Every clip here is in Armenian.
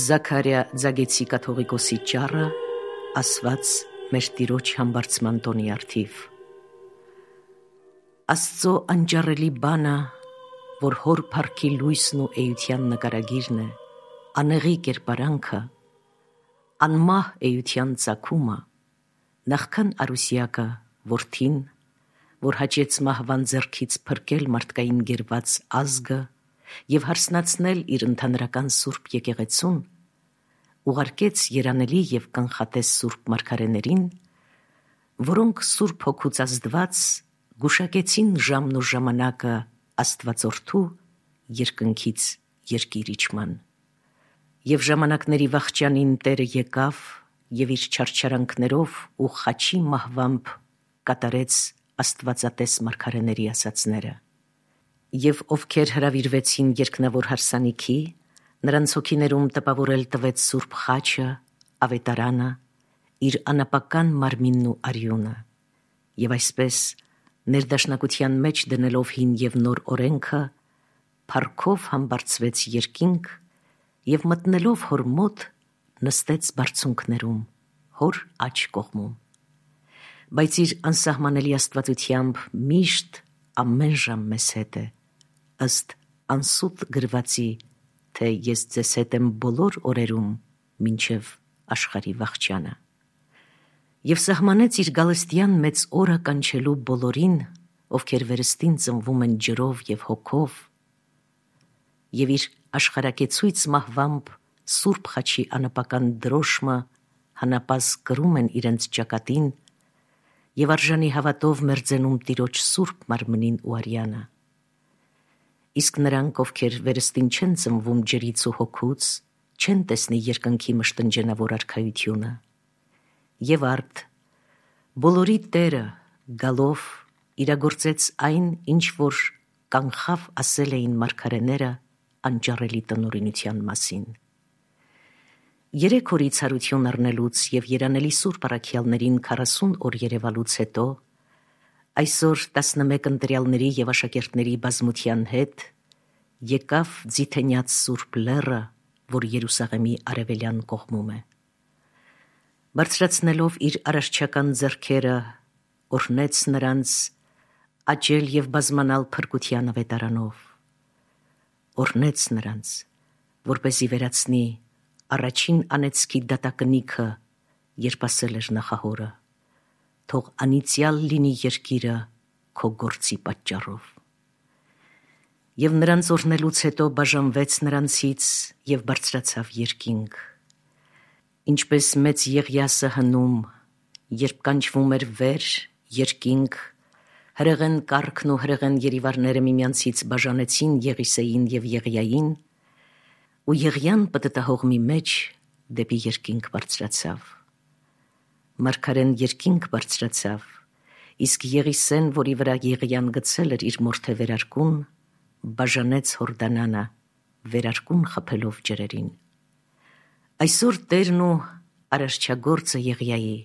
Զաքարիա Ձագեցի կաթողիկոսի ճառը ասված մեր Տիրոջ համբարձման տոնի արդիվ։ Աստծո անճառելի բանը, որ հոր փառքի լույսն ու էության նկարագիրն է, անեղի կերպարանքը, անմահ էության ծագումը, նախքան արուսյակը որդին, որ հաճեց մահվան ձեռքից փրկել մարդկային գերված ազգը և հարսնացնել իր ընդհանրական սուրբ եկեղեցուն, ուղարկեց երանելի և կանխատես սուրբ մարգարեներին, որոնք սուրբ հոգուց ազդված գուշակեցին ժամն ու ժամանակը Աստվածորդու երկնքից երկիր իջման։ Եվ ժամանակների վախճանին Տերը եկավ և իր չարչարանքներով ու խաչի մահվամբ կատարեց աստվածատես մարգարեների ասացները։ Եվ ովքեր հրավիրվեցին երկնավոր հարսանիքի, նրանց հոգիներում տպավորել տվեց սուրբ խաչը, ավետարանը, իր անապական մարմինն ու արյունը, և այսպես ներդաշնակության մեջ դնելով հին և նոր օրենքը, փառքով համբարձվեց երկինք և մտնելով հոր մոտ նստեց բարձունքներում, հոր աջ կողմում, բայց իր անսահմանելի աստվածությամբ միշտ ամեն ժամ մեզ հետ է, ըստ անսուտ գրվածի, թե ես ձեզ հետ եմ բոլոր օրերում մինչև աշխարհի վախճանը։ Եվ սահմանեց իր գալստյան մեծ օրը կանչելու բոլորին, ովքեր վերստին ծնվում են ջրով և հոգով, և իր աշխարհակեցույց մահվամբ սուրբ խաչի անապական դրոշմը հանապազգ կրում են իրենց ճակատին և արժանի հավատով մերձենում Տիրոջ սուրբ մարմնին ու արյանը։ Իսկ նրանք, ովքեր վերստին չեն ծնվում ջրից ու հոգուց, չեն տեսնի երկնքի մշտնջենավոր արքայությունը։ Եվ արդ, բոլորի Տերը գալով իրագործեց այն, ինչ որ կանխավ ասել էին մարգարեները անճառելի տնօրինության մասին։ 3 օրից հարություն առնելուց և երանելի սուրբ առաքյալներին 40 օր երևալուց հետո, այսօր 11 ընտրյալների և աշակերտների բազմության հետ եկավ ձիթենյաց սուրբ լեռը, որ Երուսաղեմի արևելյան կողմում է։ Բարձրացնելով իր արարչական ձեռքերը, օրհնեց նրանց աճել և բազմանալ փրկության ավետարանով, օրհնեց նրանց, որպեսզի վերացնի առաջին անեծքի դատակնիքը, երբ ասել էր նախահորը. թող անիծյալ լինի երկիրը քո գործի պատճառով։ Եվ նրանց օրհնելուց հետո բաժանվեց նրանցից և բարձրացավ երկինք, ինչպես մեծ Եղիասը հնում, երբ կանչվում էր վեր, երկինք, հրեղեն կառքն ու հրեղեն երիվարները միմյանցից բաժանեցին Եղիսեին և Եղիային, ու Եղիան պտտահողմի մեջ դեպի երկինք բարձրացավ։ Մարգարեն երկինք բարձրացավ, իսկ Եղիսեն, որի վրա Եղիան գցել էր իր մորթե վերարկուն, բաժանեց Հորդանանը, վերարկուն խփելով ջրերին։ Այսօր Տերն ու արարչագործը Եղիայի,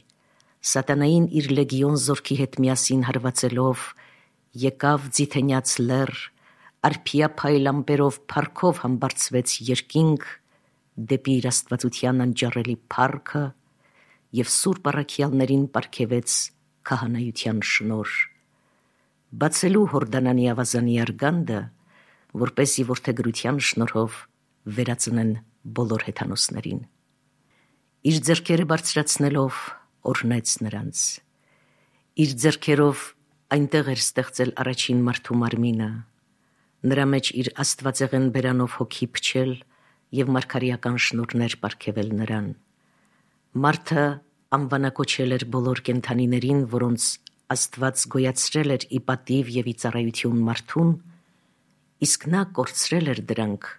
սատանային իր լեգիոն զորքի հետ միասին հարվածելով, եկավ ձիթենյաց լեռ, արփիա փայլ ամպերով փառքով համբարձվեց երկինք դեպի իր աստվածության անճառելի փառքը և սուրբ առաքյալներին պարգևեց քահանայության շնորհ, բացելու Հորդանանի ավազանի արգանդը, որպեսզի որդեգրության շնորհով վերածնեն բոլոր հեթանոսներին։ Իր ձեռքերը բարձրացնելով օրհնեց նրանց։ Իր ձեռքերով այնտեղ էր ստեղծել առաջին մարդու մարմինը, նրա մեջ իր աստվածեղեն բերանով հոգի փչել և մարգարեական շնորհներ պարգևել նրան։ Մարդը անվանակոչել էր բոլոր կենդանիներին, որոնց Աստված գոյացրել էր ի պատիվ և ի ծառայություն մարդուն, իսկ նա կորցրել էր դրանք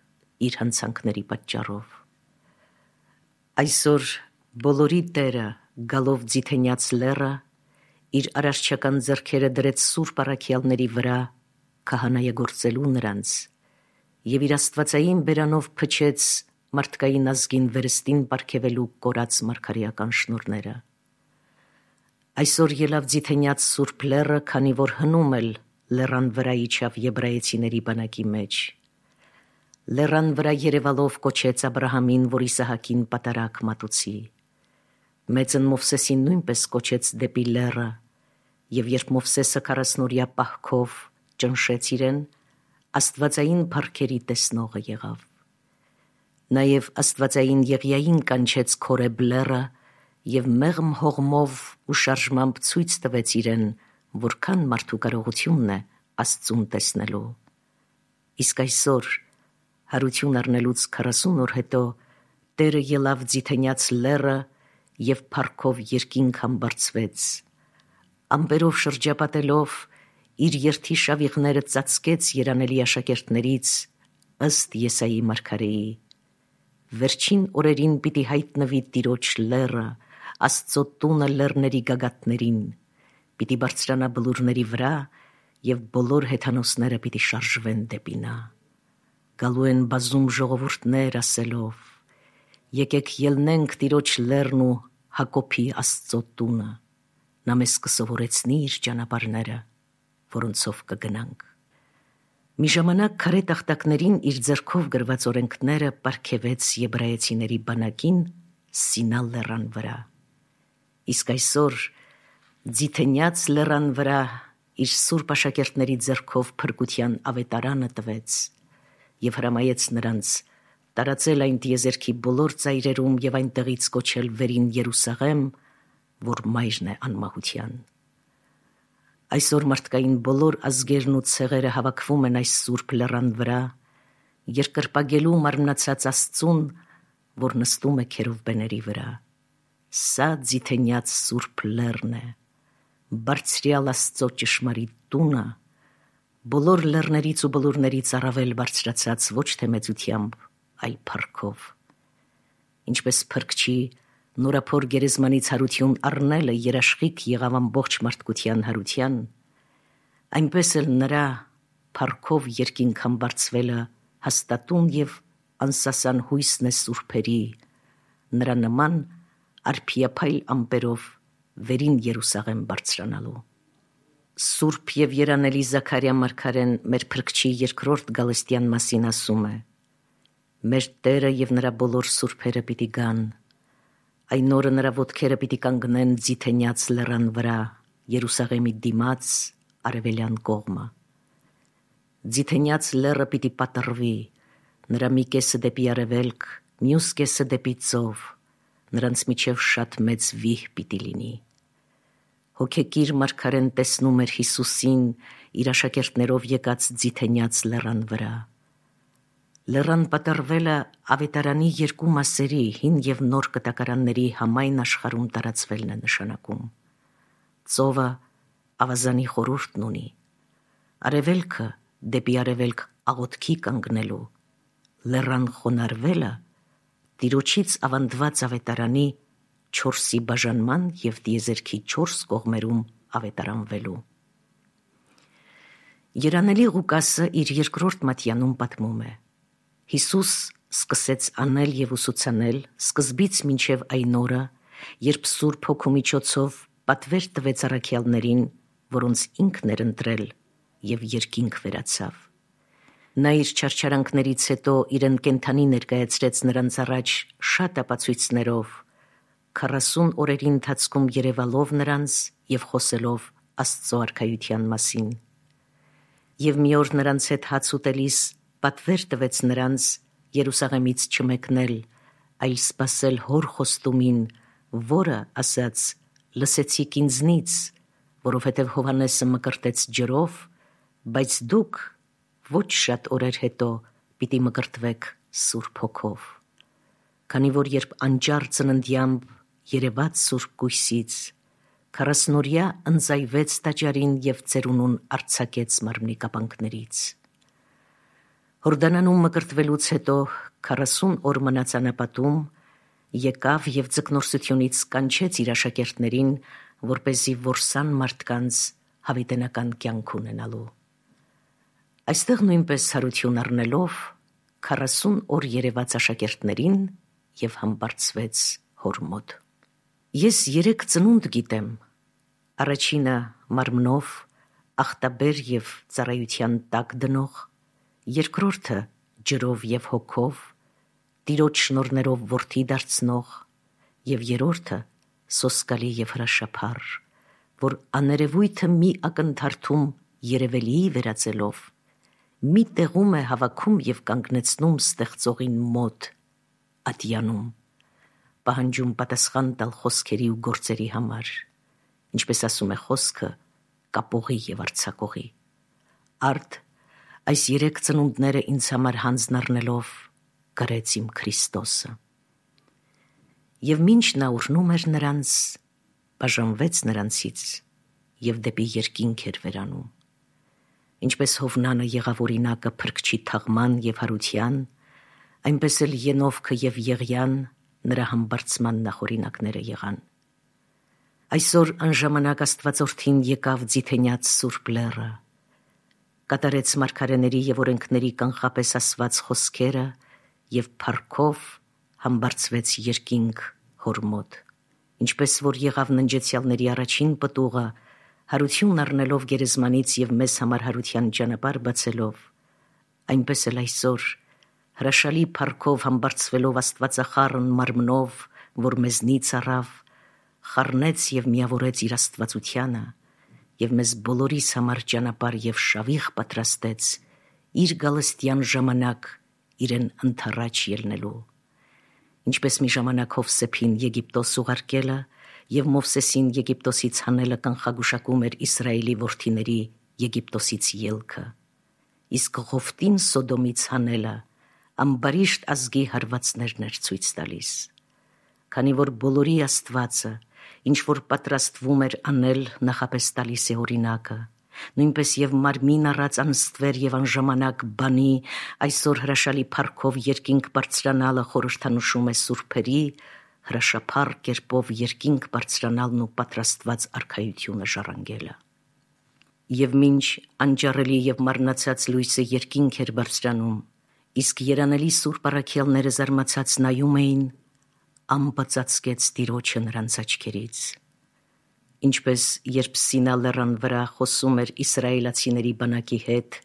իր հանցանքների պատճառով։ Այսօր բոլորի Տերը գալով ձիթենյաց լեռը, իր արարչական ձեռքերը դրեց սուրբ առաքյալների վրա քահանայագործելու նրանց և իր աստվածային բերանով փչեց մարդկային ազգին վերստին պարգևելու կորած մարգարեական շնորհները։ Այսօր ելավ ձիթենյաց սուրբ լեռը, քանի որ հնում էլ լեռան վրա իջավ եբրայեցիների բանակի մեջ։ Լեռան վրա երևալով կոչեց Աբրահամին, որ Իսահակին պատարակ մատուցի։ Մեծն Մովսեսին նույնպես կոչեց դեպի լեռը, եւ երբ Մովսեսը 40 պահքով ճնշեց իրեն, աստվածային փառքերի տեսնողը եղավ։ Նաեւ աստվածային Եղիային կանչեց Քորեբ լեռը եւ մեղմ հողմով ու շարժմամբ ցույց տվեց իրեն, որքան մարդու կարողությունն է Աստծուն տեսնելու։ Իսկ այսօր հարություն առնելուց 40 օր հետո Տերը ելավ ձիթենյաց լեռը եւ փառքով երկինք համբարձվեց, ամպերով շրջապատելով իր երթի շավիղները ծածկեց երանելի աշակերտներից ըստ Եսայի մարգարեի։ Վերջին օրերին պիտի հայտնվի Տիրոջ լեռը, Աստծո տունը լեռների գագաթներին, պիտի բարձրանա բլուրների վրա եւ բոլոր հեթանոսները պիտի շարժվեն դեպի նա։ Գալու են բազում ժողովուրդներ ասելով. եկեք ելնենք Տիրոջ լեռն ու Հակոբի Աստծո տունը, նա մեզ կսովորեցնի իր ճանապարհները, որոնցով կգնանք։ Մի ժամանակ քարե տախտակներին իր ձեռքով գրված օրենքները պարգևեց եբրայեցիների բանակին Սինա լեռան վրա։ Իսկ այսօր ձիթենյաց լեռան վրա իր սուրբ աշակերտների ձեռքով փրկության ավետարանը տվեց եւ հրամայեց նրանց տարածել այն տիեզերքի բոլոր ծայրերում եւ այնտեղից կոչել վերին Երուսաղեմ, որ մայրն է անմահության։ Այսօր մարդկային բոլոր ազգերն ու ցեղերը հավաքվում են այս սուրբ լեռան վրա, երկրպագելու մարմնացած Աստծուն, որ նստում է քերովբեների վրա։ Սա ձիթենյաց սուրբ լեռն է, բարձրյալ Աստծո ճշմարիտ տունը, բոլոր լեռներից ու բլուրներից առավել բարձրացած ոչ թե մեծությամբ, այլ փառքով։ Ինչպես փրկչի նորափոր գերեզմանից հարություն առնելը երաշխիք եղավ ամբողջ մարդկության հարության, այնպես էլ նրա փառքով երկինք համբարձվելը հաստատուն եւ անսասան հույսն է սուրբերի, նրա նման արփիափայլ ամպերով վերին Երուսաղեմ բարձրանալու։ Սուրբ եւ երանելի Զաքարիա մարգարեն մեր փրկչի երկրորդ գալստյան մասին ասում է. մեր Տերը եւ նրա բոլոր սուրբերը պիտի գան, այն օրը նրա ոտքերը պիտի կանգնեն ձիթենյաց լեռան վրա, Երուսաղեմի դիմաց արևելյան կողմը։ Ձիթենյաց լեռը պիտի պատռվի, նրա մի կեսը դեպի արևելք, մյուս կեսը դեպի ծով, նրանց միջև շատ մեծ վիհ պիտի լինի։ Հոգեկիր մարգարեն տեսնում էր Հիսուսին իր աշակերտներով եկած ձիթենյաց լեռան վրա։ Լեռան պատառվելը ավետարանի երկու մասերի, հին եւ նոր կտակարանների համայն աշխարհում տարածվելն է նշանակում։ Ծովը ավազանի խորհուրդն ունի, արևելքը դեպի արևելք աղոթքի կանգնելու, լեռան խոնարհվելը Տիրոջից ավանդված ավետարանի 4-ի բաժանման եւ տիեզերքի 4 կողմերում ավետարանվելու։ Երանելի Ղուկասը իր երկրորդ մատյանում պատմում է. Հիսուս սկսեց անել եւ ուսուցանել սկզբից մինչև այն օրը, երբ Սուրբ Հոգու միջոցով պատվեր տվեց առաքյալներին, որոնց ինքն էր ընտրել, եւ երկինք վերացավ։ Նա իր չարչարանքներից հետո իրեն կենդանի ներկայացրեց նրանց առաջ շատ ապացույցներով, 40 օրերի ընթացքում երևալով նրանց եւ խոսելով Աստծո արքայության մասին։ Եվ մի օր նրանց հետ հաց ուտելիս պատվեր տվեց նրանց Երուսաղեմից չմեկնել, այլ սպասել հոր խոստումին, որը ասաց. «Լսեցիք ինձնից, որովհետև Հովհաննեսը մկրտեց ջրով, բայց դուք ոչ շատ օրեր հետո պիտի մկրտվեք Սուրբ Հոգով»։ Քանի որ երբ անճար ծննդյամբ երևաց Սուրբ Գույսից, 40-օրյա ընձայվեց տաճարին եւ ծերունուն արձակեց մարմնի կապանքներից։ Հորդանանում մկրտվելուց հետո 40 օր մնաց անապատում, եկավ եւ ձկնորսությունից կանչեց իր աշակերտներին, որպեսզի որսան մարդկանց հավիտենական կյանք ունենալու։ Այստեղ նույնպես հարություն առնելով 40 օր երևաց աշակերտներին եւ համբարձվեց հոր մոտ։ Ես 3 ծնունդ գիտեմ, առաջինը մարմնով ախտաբեր եւ ծառայության տակ դնող, երկրորդը ջրով եւ հոգով, Տիրոջ շնորներով որդի դարձնող, եւ երրորդը սոսկալի եւ հրաշափառ, որ աներևույթը մի ակնթարթում երևելի վերածելով, մի տեղում է հավաքում եւ կանգնեցնում ստեղծողին մոտ, ատյանում, պահանջում պատասխան տալ խոսքերի ու գործերի համար, ինչպես ասում է խոսքը, կապողի եւ արձակողի։ Արդ այս 3 ծնունդները ինձ համար հանձն առնելով գրեց իմ Քրիստոսը։ Եվ մինչ նա ուրնում էր նրանց, բաժանվեց նրանցից եւ դեպի երկինք էր վերանում։ Ինչպես Հովնանը եղավ օրինակը փրկչի թաղման եւ հարության, այնպես էլ Ենովքը եւ Եղիան նրա համբարձման նախօրինակները եղան։ Այսօր անժամանակ Աստվածորդին եկավ ձիթենյաց Սուրբ Լեռը, կատարեց մարգարեների եւ օրենքների կանխապես ասված խոսքերը եւ փառքով համբարձվեց երկինք հոր մոտ, ինչպես որ եղավ ննջեցյալների առաջին պտուղը, հարություն առնելով գերեզմանից եւ մեզ համար հարության ճանապարհ բացելով, այնպես էլ այսօր հրաշալի փառքով համբարձվելով Աստվածախառն մարմնով, որ մեզնից առավ, խառնեց եւ միավորեց իր աստվածությանը եւ մեզ բոլորիս համար ճանապարհ եւ շավիղ պատրաստեց իր գալստյան ժամանակ իրեն ընթառաջ ելնելու, ինչպես մի ժամանակ Հովսեփին Եգիպտոս ուղարկելը եւ Մովսեսին Եգիպտոսից հանելը կանխագուշակում էր Իսրայելի որդիների Եգիպտոսից ելքը, իսկ Ղովտին Սոդոմից հանելը ամբարիշտ ազգի հարվածներն էր ցույց տալիս, քանի որ բոլորի Աստվածը, ինչ որ պատրաստվում էր անել, նախապես տալիս է օրինակը, նույնպես եւ մարմին առած անստվեր եւ անժամանակ բանի այսօր հրաշալի փառքով երկինք բարձրանալը խորհրդանշում է սուրբերի հրաշափառ կերպով երկինք բարձրանալն ու պատրաստված արքայությունը ժառանգելը։ Եվ մինչ անջառելի եւ մարմնացած լույսը երկինք էր բարձրանում, իսկ երանելի սուրբ առաքյալները զարմացած նայում էին, ամպը ծածկեց Տիրոջը նրանց աչքերից։ Ինչպես երբ Սինա լեռան վրա խոսում էր իսրայելացիների բանակի հետ,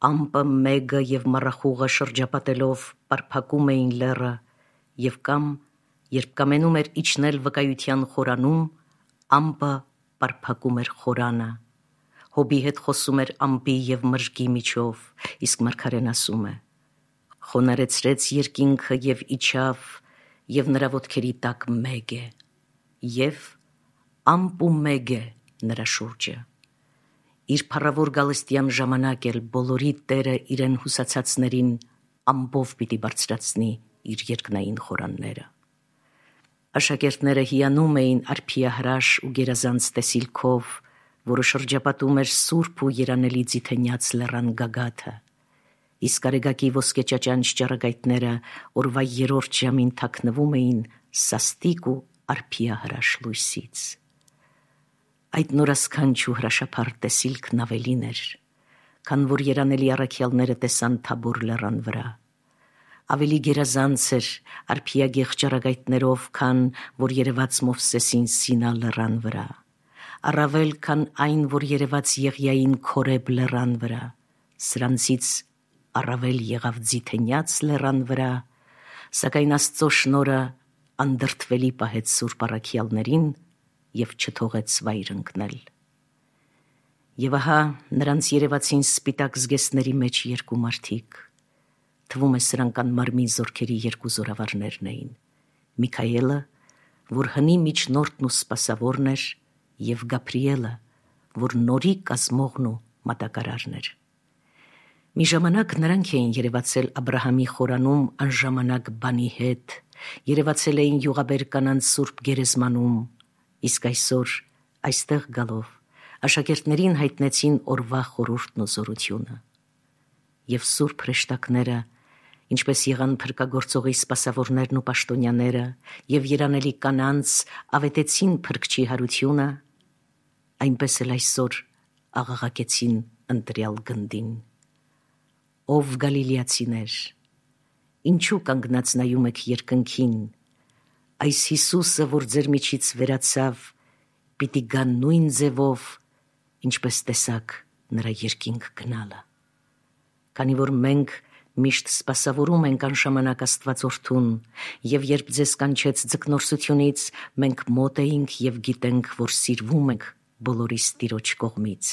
ամպը մեգը եւ մառախուղը շրջապատելով պարփակում էին լեռը, եւ կամ երբ կամենում էր իջնել վկայության խորանում, ամպը պարփակում էր խորանը։ Հոբի հետ խոսում էր ամպի եւ մրգի միջով, իսկ մարգարեն ասում է. խոնարեցրեց երկինքը եւ իջավ, եւ նրա ոտքերի տակ մեգ է, եւ ամպ ու մեգ է նրա շուրջը։ Իր փառավոր գալստյան ժամանակ էլ բոլորի Տերը իրեն հուսացածներին ամպով պիտի բարձրացնի իր երկնային խորանները։ Աշակերտները հիանում էին արփիահրաշ ու գերազանց տեսիլքով, որը շրջապատում էր սուրբ ու երանելի ձիթենյաց լեռան գագաթը, իսկ արեգակի ոսկե ճաճանչ ճառագայթները օրվա 3-րդ ժամին թաքնվում էին սաստիկ ու արփիահրաշ լույսից։ Այդ նորասքանչ ու հրաշափառ տեսիլքն ավելին էր, քան որ երանելի առաքյալները տեսան Թաբոր լեռան վրա։ Ավելի գերազանց էր արփիագեղ ճառագայթներով, քան որ երևաց Մովսեսին Սինա լեռան վրա, առավել քան այն, որ երևաց Եղիային Քորեբ լեռան վրա, սրանցից առավել եղավ ձիթենյաց լեռան վրա, սակայն Աստծո շնորհը անդրդվելի պահեց սուրբ առաքյալներին եւ չթողեց վայր ընկնել։ Եվ ահա նրանց երևացին սպիտակ զգեստների մեջ 2 մարդիկ, թվում է սրանք անմարմին զորքերի 2 զորավարներն էին, Միքայելը, որ հնի միջնորդն ու սպասավորն էր, եւ Գաբրիելը, որ նորի կազմողն ու մատակարարն էր։ Մի ժամանակ նրանք էին երևացել Աբրահամի խորանում անժամանակ բանի հետ, երևացել էին յուղաբեր կանանց սուրբ գերեզմանում, իսկ այսօր այստեղ գալով աշակերտներին հայտնեցին օրվա խորհուրդն ու զորությունը։ Եվ սուրբ հրեշտակները, ինչպես եղան փրկագործողի սպասավորներն ու պաշտոնյաները եւ երանելի կանանց ավետեցին փրկչի հարությունը, այնպես էլ այսօր աղաղակեցին ընտրյալ գնդին. Ով գալիլեացիներ, ինչու կանգնած նայում եք երկնքին, այս Հիսուսը, որ ձեր միջից վերացավ, պիտի գա նույն ձևով, ինչպես տեսաք նրա երկինք գնալը։ Քանի որ մենք Միշտ սպասավորում ենք անժամանակ Աստվածորդուն, եւ երբ ձեզ կանչեց ձկնորսությունից, մենք մոտ էինք եւ գիտենք, որ սիրվում ենք բոլորիս Տիրոջ կողմից։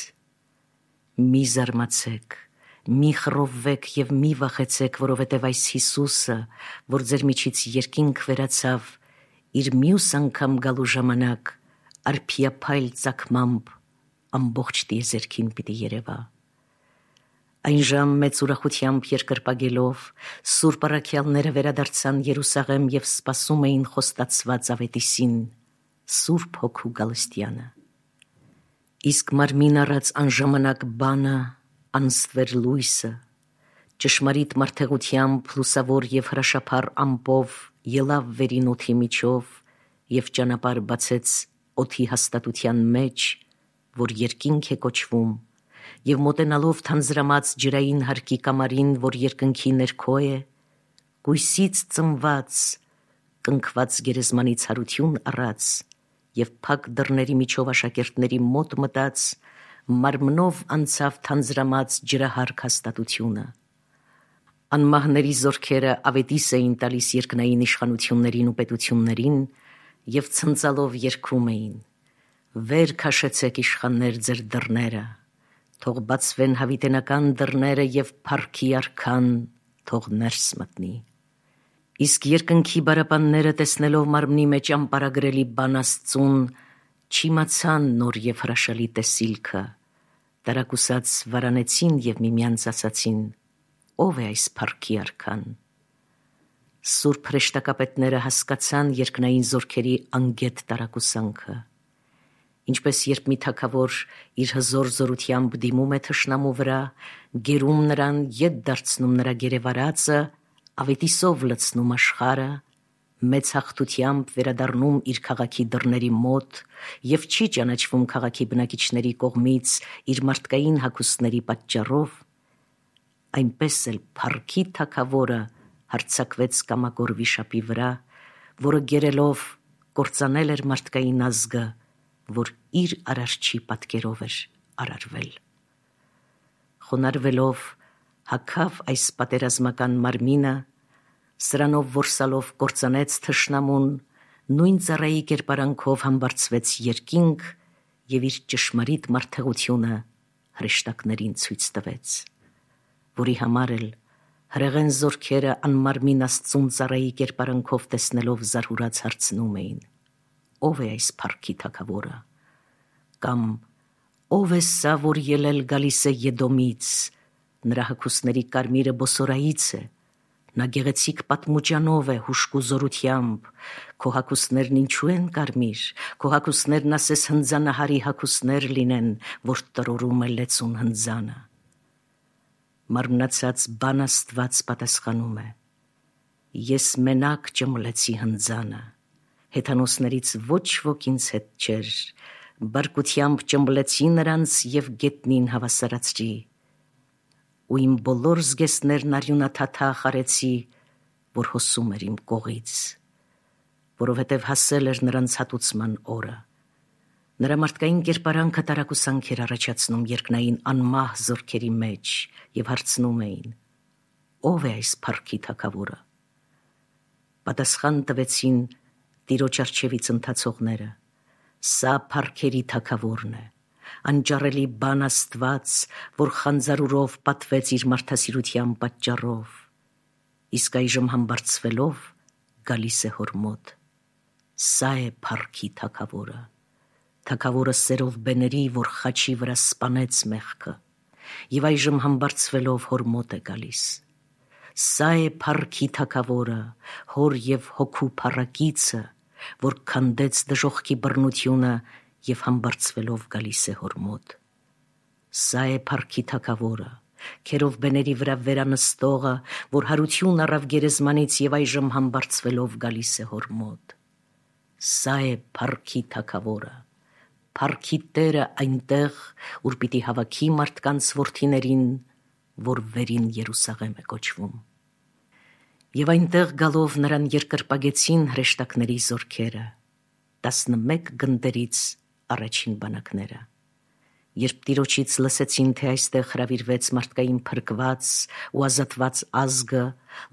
Մի զարմացեք, մի խռովվեք եւ մի վախեցեք, որովհետեւ այս Հիսուսը, որ ձեր միջից երկինք վերացավ, իր մյուս անգամ գալու ժամանակ արփիափայլ ծագմամբ ամբողջ տիեզերքին պիտի երևա։ Այն ժամ մեծ ուրախությամբ երկրպագելով Սուրբ առաքյալները վերադարձան Երուսաղեմ եւ սպասում էին խոստացված ավետիսին, Սուրբ Հոգու գալստյանը։ Իսկ մարմին առած անժամանակ բանը, անստվեր լույսը, ճշմարիտ մարդեղությամբ լուսավոր եւ հրաշափառ ամպով ելավ վերին օդի միջով եւ ճանապարհ բացեց օդի հաստատության մեջ, որ երկինք է կոչվում, եւ մոտենալով թանձրամած ջրային հարկի կամարին, որ երկնքի ներքո է, գույսից ծնված, կնքված գերեզմանից հարություն առած եւ փակ դռների միջով աշակերտների մոտ մտած, մարմնով անցավ թանձրամած ջրահարկ հաստատությունը։ Անմահների զորքերը ավետիս էին տալիս երկնային իշխանություններին ու պետություններին եւ ցնծալով երգում էին. «Վեր քաշեցեք իշխաններ ձեր դռները, թող բացվեն հավիտենական դռները եւ փառքի արքան թող ներս մտնի»։ Իսկ երկնքի բարապանները տեսնելով մարմնի մեջ անպարագրելի բան Աստծուն, չիմացան նոր եւ հրաշալի տեսիլքը, տարակուսած վարանեցին եւ միմյանց ասացին. «Ո՞վ է այս փառքի արքան»։ Սուրբ հրեշտակապետները հասկացան երկնային զորքերի անգետ տարակուսանքը։ Ինչպես երբ մի թագավոր իր հզոր զորությամբ դիմում է թշնամու վրա, գերում նրան, ետ դարձնում նրա գերեվարածը, ավետիսով լցնում աշխարհը, մեծ հաղթությամբ վերադառնում իր քաղաքի դռների մոտ եւ չի ճանաչվում քաղաքի բնակիչների կողմից իր մարդկային հագուստների պատճառով, այնպես էլ փառքի թագավորը հարձակվեց կամագոր վիշապի վրա, որը գերելով կործանել էր մարդկային ազգը, որ իր արարչի պատկերով էր արարվել։ Խոնարհվելով հագավ այս պատերազմական մարմինը, սրանով որսալով կործանեց թշնամուն, նույն ծառայի կերպարանքով համբարձվեց երկինք եւ իր ճշմարիտ մարդեղությունը հրեշտակներին ցույց տվեց, որի համար էլ հրեղեն զորքերը անմարմին Աստծուն ծառայի կերպարանքով տեսնելով զարհուրած հարցնում էին. «Ո՞վ է այս փառքի թագավորը»։ Կամ «Ո՞վ է սա, որ ելել գալիս է Եդոմից, նրա հագուստների կարմիրը բոսորայից է, նա գեղեցիկ պատմուճանով է հուժկու զորությամբ, քո հագուստներն ինչու են կարմիր, քո հագուստներն ասես հնձանահարի հագուստներ լինեն, որ տրորում է լեցուն հնձանը»։ Մարմնացած բան Աստված պատասխանում է. «Ես մենակ ճմլեցի հնձանը, հեթանոսներից ոչ ոք ինձ հետ չէր, բարկությամբ ճմբլեցի նրանց եւ գետնին հավասարացրի, ու իմ բոլոր զգեստներն արյունաթաթախ արեցի, որ հոսում էր իմ կողից, որովհետեւ հասել էր նրանց հատուցման օրը»։ Նրա մարդկային կերպարանքը տարակուսանք էր առաջացնում երկնային անմահ զորքերի մեջ եւ հարցնում էին. «Ո՞վ է այս փառքի թագավորը»։ Պատասխան տվեցին Տիրոջ առջևից ընթացողները. «Սա փառքերի թագավորն է, անճառելի բան Աստված, որ խանձարուրով պատվեց իր մարդասիրության պատճառով, իսկ այժմ համբարձվելով գալիս է հոր մոտ։ Սա է փառքի թագավորը, թագավորը սերով բեների, որ խաչի վրա սպանեց մեղքը, եւ այժմ համբարձվելով հոր մոտ է գալիս։ Սա է փառքի թագավորը, հոր եւ հոգու փառակիցը, որ քանդեց դժոխքի բռնությունը եւ համբարձվելով գալիս է հոր մոտ։ Սա է փառքի թագավորը, քերով բեների վրա վերանստողը, որ հարություն առավ գերեզմանից եւ այժմ համբարձվելով գալիս է հոր մոտ։ Սա է փառքի թագավորը, փառքի Տերը այնտեղ, ուր պիտի հավաքի մարդկանց որդիներին, որ վերին Երուսաղեմ է կոչվում։ Եվ այնտեղ գալով նրան երկրպագեցին Երբ տիրոջից լսեցին, թե այստեղ հրավիրվեց մարդկային փրկված ու ազատված ազգը,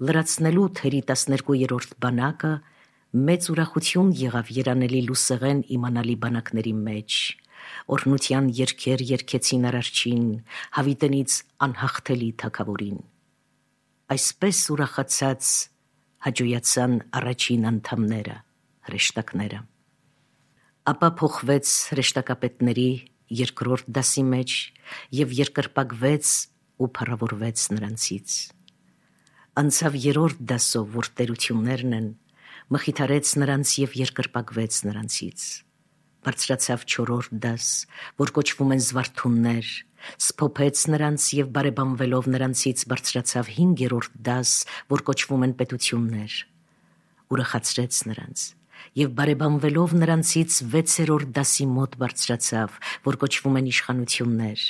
լրացնելու թերի 12-րդ բանակը, մեծ ուրախություն եղավ երանելի լուսեղեն իմանալի բանակների մեջ։ Օրհնության երգեր երգեցին Արարչին, հավիտենից անհաղթելի թագավորին։ Այսպես ուրախացած հաջողացան առաջին անդամները, հրեշտակները։ Ապա փոխվեց հրեշտակապետների երկրորդ դասի մեջ և երկրպագվեց ու փառավորվեց նրանցից։ Անցավ երրորդ դասով, որ տերություններն են, մխիթարեց նրանց և երկրպագվեց նրանցից։ Բարձրացավ չորրորդ դաս, որ կոչվում են զվարթուններ, սփոփեց նրանց և բարեբանվելով նրանցից բարձրացավ 5-րդ դաս, որ կոչվում են պետություններ, ուրախացրեց նրանց և բարեբանվելով նրանցից 6-րդ դասի մոտ բարձրացավ, որ կոչվում են իշխանություններ,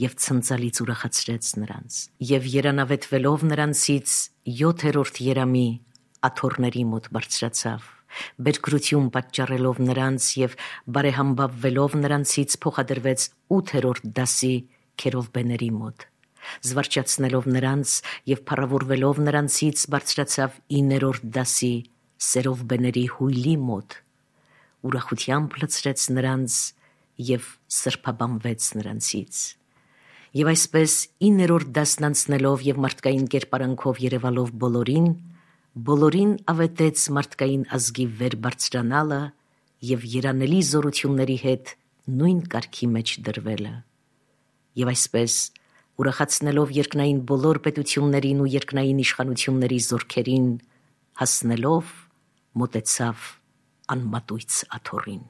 և ցնծալից ուրախացրեց նրանց, և երանավետվելով նրանցից 7-րդ երամի աթոռների մոտ բարձրացավ, բերքրություն պատճառելով նրանց և բարեհամբավվելով նրանցից փոխադրվեց 8-րդ դասի քերովբեների մոտ, զվարճացնելով նրանց և փառավորվելով նրանցից բարձրացավ 9-րդ դասի սերովբեների հույլի մոտ, ուրախությամբ լցրեց նրանց և սրբաբանվեց նրանցից։ Եվ այսպես 9-րդ դասն անցնելով և մարդկային կերպարանքով երևալով բոլորին ավետեց մարդկային ազգի վեր բարձրանալը և երանելի զորությունների հետ նույն կարգի մեջ դրվելը։ Եվ այսպես ուրախացնելով երկնային բոլոր պետություններին ու երկնային իշխանությունների զորքերին, հասնելով մոտեցավ անմատույց աթոռին։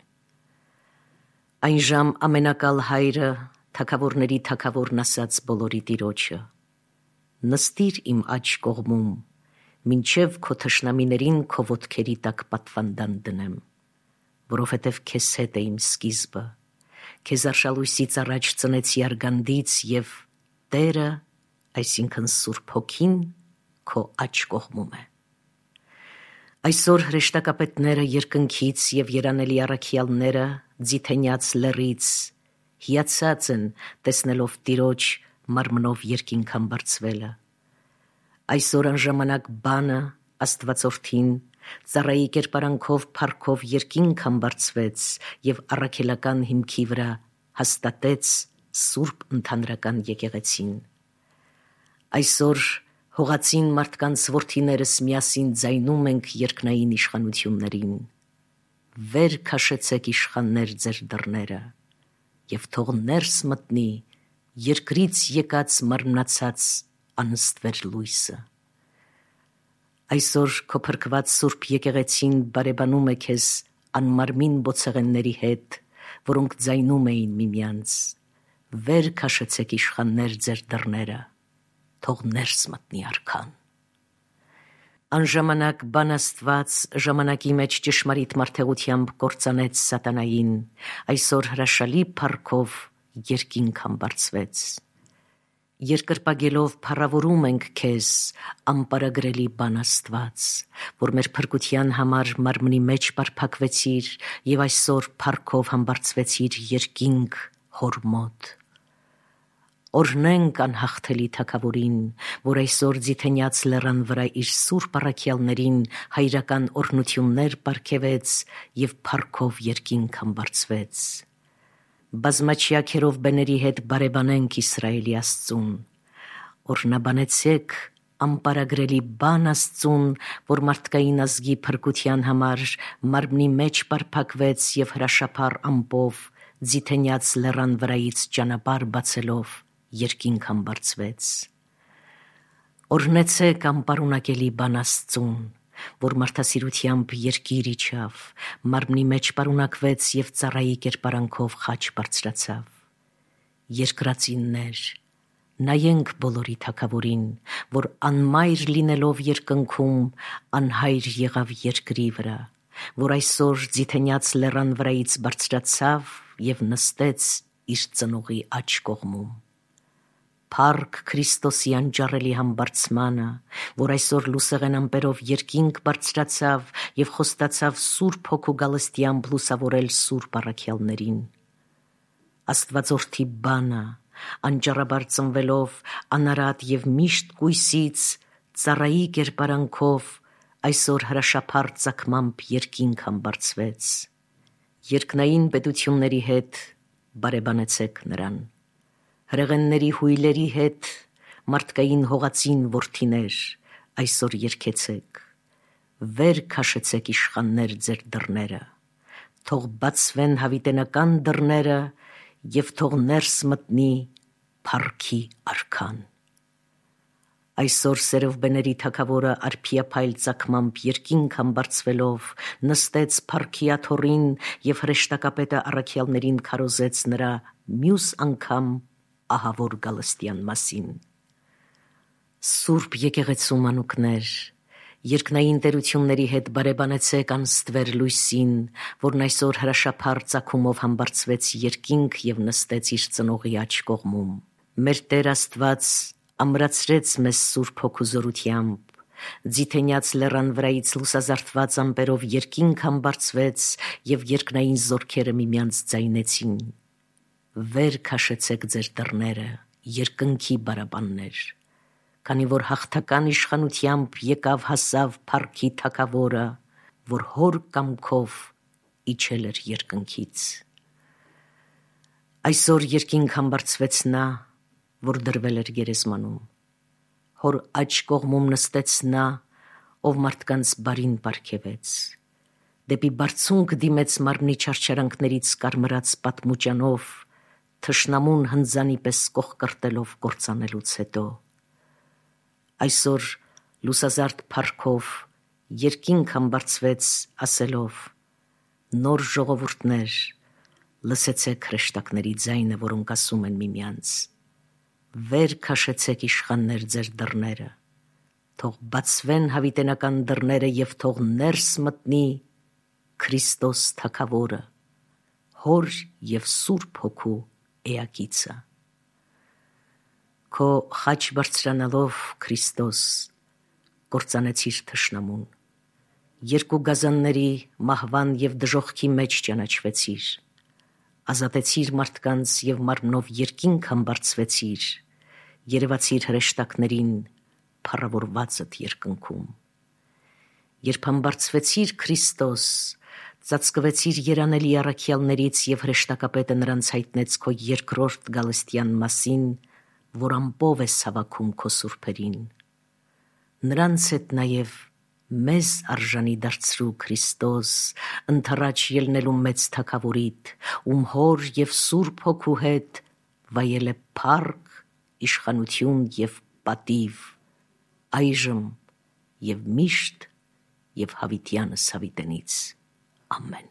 Այն ժամ ամենակալ հայրը թագավորների թագավորն ասաց բոլորի տիրոջը. «Նստիր իմ աջ կողմում, մինչև քո թշնամիներին քո ոտքերի տակ պատվանդան դնեմ, որովհետև քեզ հետ է իմ սկիզբը, քեզ արշալույսից առաջ ծնեցի արգանդից և Տերը, այսինքն Սուրբ Հոգին, քո աջ կողմում է»։ Այսօր հրեշտակապետները երկնքից և երանելի առաքյալները Ձիթենյաց լեռից հիացած են տեսնելով Տիրոջ մարմնով երկինք բարձվելը։ Այսօր անժամանակ բանը Աստվածորդին ծառայի կերպարանքով փառքով երկինք բարձվեց և առաքելական հիմքի վրա հաստատեց Սուրբ Ընդհանրական եկեղեցին։ Այսօր հողածին մարդկանց որդիներս միասին ձայնում ենք երկնային իշխանություններին. «Վեր քաշեցեք իշխաններ ձեր դռները, և թող ներս մտնի երկրից եկած մարմնացած անըստվեր լույսը»։ Այսօր քո փրկված Սուրբ եկեղեցին բարեբանում է քեզ անմարմին բոցեղենների հետ, որոնք ձայնում էին միմյանց. «Վեր քաշեցեք իշխաններ ձեր դռները, թող ներս մտնի արքան»։ Անժամանակ բան Աստված ժամանակի մեջ ճշմարիտ մարդեղությամբ կործանեց սատանային, այսօր հրաշալի փառքով երկինք բարձվեց։ Երկրպագելով փառավորում ենք քեզ, անպարագրելի բան Աստված, որ մեր փրկության համար մարմնի մեջ պարփակվեցիր և այսօր փառքով բարձվեցիր երկինք Հոր մոտ։ Օրհնենք անհաղթելի Թագավորին, որ այսօր Ձիթենյաց լեռան վրա իր սուրբ առաքյալներին հայրական օրհնություններ պարգևեց և փառքով երկինք բարձվեց։ Բազմաչյա քերովբեների հետ բարեբանենք Իսրայելի Աստծուն։ Օրհնաբանեցեք անպարագրելի բան Աստծուն, որ մարդկային ազգի փրկության համար մարմնի մեջ պարփակվեց և հրաշափառ ամպով Ձիթենյաց լեռան վրայից ճանապարհ բացելով երկինք բարձվեց։ Օրհնեցեք անպարունակելի բան Աստծուն, որ մարդասիրությամբ երկիր իջավ, մարմնի մեջ պարունակվեց և ծառայի կերպարանքով խաչ բարձրացավ։ Երկրածիններ, նայենք բոլորի Թագավորին, որ անմայր լինելով երկնքում անհայր եղավ երկրի վրա, որ այսօր Ձիթենյաց լեռան վրայից բարձրացավ և նստեց իր ծնողի աջ կողմում։ Փառք Քրիստոսի անճառելի համբարձմանը, որ այսօր լուսեղեն ամպերով երկինք բարձրացավ և խոստացավ Սուրբ Հոգու գալստյամբ լուսավորել սուրբ առաքյալներին։ Աստվածորդի բանը, անճառաբար ծնվելով անարատ և միշտ կույսից ծառայի կերպարանքով այսօր հրաշափառ ծագմամբ երկինք համբարձվեց։ Երկնային պետությունների հետ բարեբանեցեք նրան, հրեղենների հույլերի հետ մարդկային հողածին որդիներ, այսօր երգեցեք, վեր քաշեցեք իշխաններ ձեր դռները, թող բացվեն հավիտենական դռները և թող ներս մտնի փառքի արքան։ Այսօր սերովբեների թագավորը արբիափայլ ծագմամբ երկինք համբարձվելով նստեց փառքի աթոռին և հրեշտակապետը առաքյալներին քարոզեց նրա մյուս անգամ ահավոր գալստյան մասին։ Սուրբ եկեղեցու մանուկներ, երկնային տերությունների հետ բարեբանեցեք անստվեր լույսին, որն այսօր հրաշափառ ծագումով համբարձվեց երկինք և նստեց իր ծնողի աջ կողմում։ Մեր Տեր Աստված ամրացրեց մեզ Սուրբ Հոգու զորությամբ, ձիթենյաց լեռան վրայից լուսազարդված ամպերով երկինք համբարձվեց և երկնային զորքերը միմյանց ձայնեցին. «Վեր քաշեցեք ձեր դռները, երկնքի բարաբաններ, քանի որ հաղթական իշխանությամբ եկավ հասավ փառքի թագավորը, որ հոր կամքով իջել էր երկնքից»։ Այսօր երկինք համբարձվեց նա, որ դրվել էր գերեզմանում, հոր աջ կողմում նստեց նա, ով մարդկանց բարին պարգևեց, դեպի բարձունք դիմեց մարմնի չարչարանքներից կարմրած պատմուճանով, թշնամուն հնձանի պես կոխկրտելով կործանելուց հետո։ Այսօր լուսազարդ փառքով երկինք համբարձվեց ասելով. «Նոր ժողովուրդներ, լսեցեք հրեշտակների ձայնը, որոնք ասում են միմյանց. վեր քաշեցեք իշխաններ ձեր դռները, թող բացվեն հավիտենական դռները և թող ներս մտնի Քրիստոս թագավորը, Հոր և Սուրբ Հոգու էակիցը»։ Քո խաչ բարձրանալով, Քրիստոս, կործանեցիր թշնամուն, երկու գազանների, մահվան և դժոխքի մեջ ճանաչվեցիր, ազատեցիր մարդկանց և մարմնով երկինք համբարձվեցիր, երևացիր հրեշտակներին փառավորվածդ երկնքում։ Երբ համբարձվեցիր Քրիստոս, ծածկվեցիր երանելի առաքյալներից և հրեշտակապետը նրանց հայտնեց քո երկրորդ գալստյան մասին, որ ամպով ես հավաքում քո սուրբերին։ Նրանց հետ նաև մեզ արժանի դարձրու Քրիստոս, ընդառաջ ելնելու մեծ թագավորիդ, ում Հոր և Սուրբ Հոգու հետ վայել է փառք, իշխանություն և պատիվ, այժմ և միշտ և հավիտյանս հավիտենից։ Ամեն։